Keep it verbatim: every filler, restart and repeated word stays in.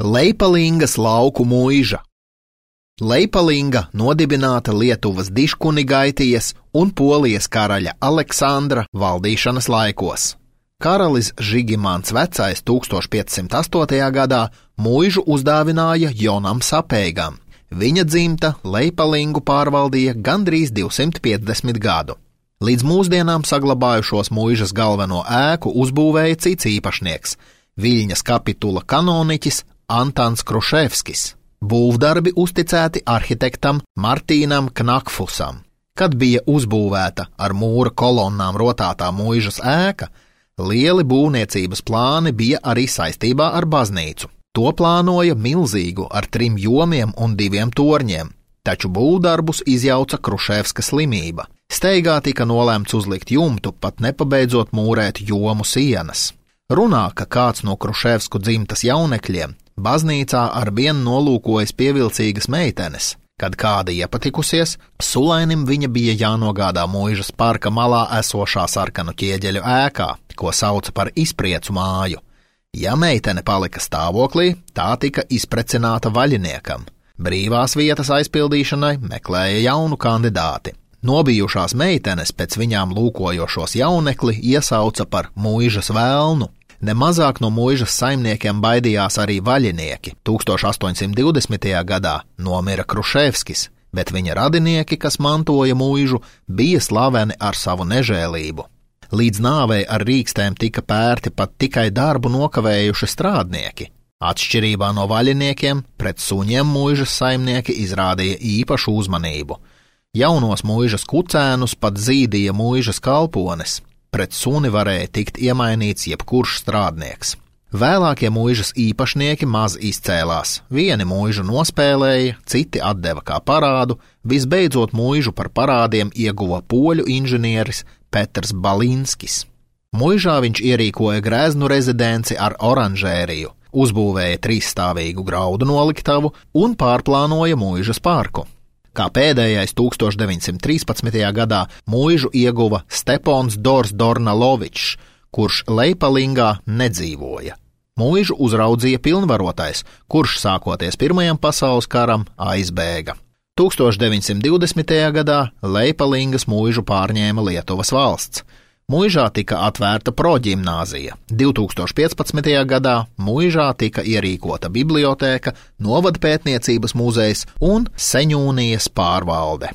Leipalingas lauku muiža. Leipalinga nodibināta Lietuvas Diškunigaitijas un Polijas karaļa Aleksandra valdīšanas laikos. Karalis Žigimants Vecais tūkstoš piecsimt astotajā gadā muižu uzdāvināja Jonam Sapeigam. Viņa dzimta Leipalingu pārvaldīja gandrīz divsimt piecdesmit gadu. Līdz mūsdienām saglabājušos muižas galveno ēku uzbūvēja cits īpašnieks – Viļņas kapitula kanoniķis Antans Kruševskis. Būvdarbi uzticēti arhitektam Martīnam Knakfusam. Kad bija uzbūvēta ar mūra kolonnām rotātā muižas ēka, lieli būvniecības plāni bija arī saistībā ar baznīcu. To plānoja milzīgu ar trim jomiem un diviem torņiem, taču būvdarbus izjauca Kruševska slimība. Steigā tika nolēmts uzlikt jumtu, pat nepabeidzot mūrēt jomu sienas. Runā, ka kāds no Kruševsku dzimtas jaunekļiem baznīcā arvien nolūkojas pievilcīgas meitenes. Kad kāda iepatikusies, sulainim viņa bija jānogādā muižas parka malā esošā sarkanu ķieģeļu ēkā, ko sauca par izpriecu māju. Ja meitene palika stāvoklī, tā tika izprecināta vaļiniekam. Brīvās vietas aizpildīšanai meklēja jaunu kandidāti. Nobijušās meitenes pēc viņām lūkojošos jaunekli iesauca par muižas vēlnu. Nemazāk no muižas saimniekiem baidījās arī vaļinieki. tūkstoš astoņsimt divdesmitajā gadā nomira Kruševskis, bet viņa radinieki, kas mantoja muižu, bija slaveni ar savu nežēlību. Līdz nāvei ar rīkstēm tika pērti pat tikai darbu nokavējuši strādnieki. Atšķirībā no vaļiniekiem, pret suņiem muižas saimnieki izrādīja īpašu uzmanību. Jaunos muižas kucēnus pat zīdīja muižas kalpones. Pret suni varēja tikt iemainīts jebkurš strādnieks. Vēlākie muižas īpašnieki maz izcēlās. Vieni muižu nospēlēja, citi atdeva kā parādu, visbeidzot muižu par parādiem ieguva poļu inženieris Petrs Balinskis. Muižā viņš ierīkoja grēznu rezidenci ar oranžēriju, uzbūvēja trīsstāvīgu graudu noliktavu un pārplānoja muižas parku. Kā pēdējais tūkstoš deviņsimt trīspadsmitajā gadā muižu ieguva Stepons Dors Dornalovičs, kurš Leipalingā nedzīvoja. Muižu uzraudzīja pilnvarotais, kurš sākoties Pirmajam pasaules karam aizbēga. tūkstoš deviņsimt divdesmitajā gadā Leipalingas muižu pārņēma Lietuvas valsts. Muižā tika atvērta proģimnāzija. divtūkstoš piecpadsmitajā gadā muižā tika ierīkota bibliotēka, novadpētniecības muzejs un Seņūnijas pārvalde.